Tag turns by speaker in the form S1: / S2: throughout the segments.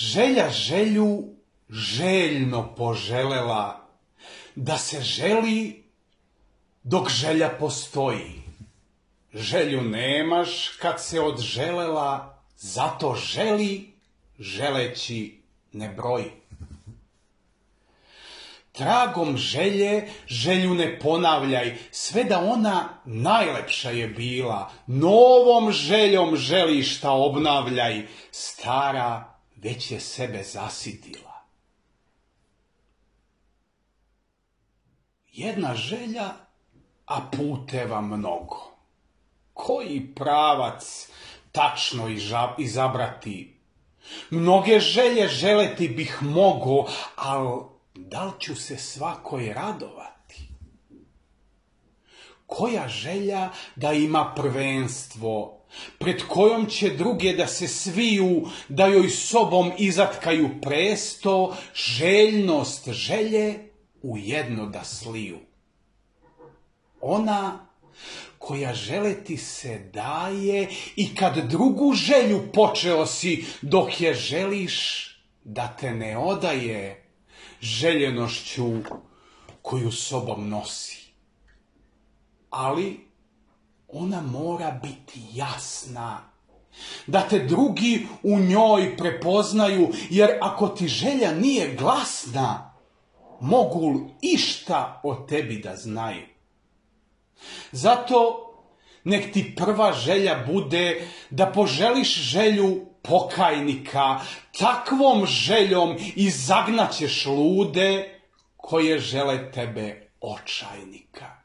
S1: Želja želju željno poželela, da se želi dok želja postoji. Želju nemaš kad se odželela, zato želi, želeći ne broji. Tragom želje želju ne ponavljaj, sve da ona najlepša je bila. Novom željom želiš ta obnavljaj, stara već je sebe zasitila. Jedna želja, a puteva mnogo. Koji pravac tačno izabrati? Mnoge želje želeti bih mogo, al da li ću se svakoj radovati? Koja želja da ima prvenstvo, pred kojom će druge da se sviju, da joj sobom izatkaju presto, željnost želje u jedno da sliju. Ona koja želeti se daje i kad drugu želju počeo si, dok je želiš da te ne odaje željenošću koju sobom nosi. Ali ona mora biti jasna, da te drugi u njoj prepoznaju, jer ako ti želja nije glasna, mogu li išta o tebi da znaju. Zato nek ti prva želja bude da poželiš želju pokajnika, takvom željom izagnaćeš lude koje žele tebe očajnika.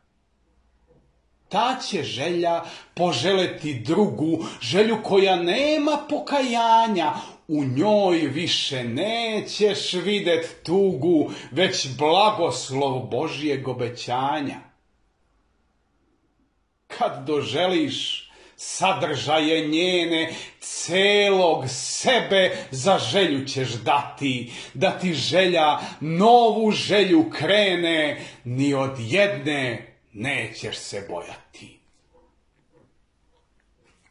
S1: Ta će želja poželeti drugu, želju koja nema pokajanja, u njoj više nećeš vidjet tugu, već blagoslov Božjeg obećanja. Kad doželiš sadržaje njene, celog sebe za želju ćeš dati, da ti želja novu želju krene, ni od jedne nećeš se bojati.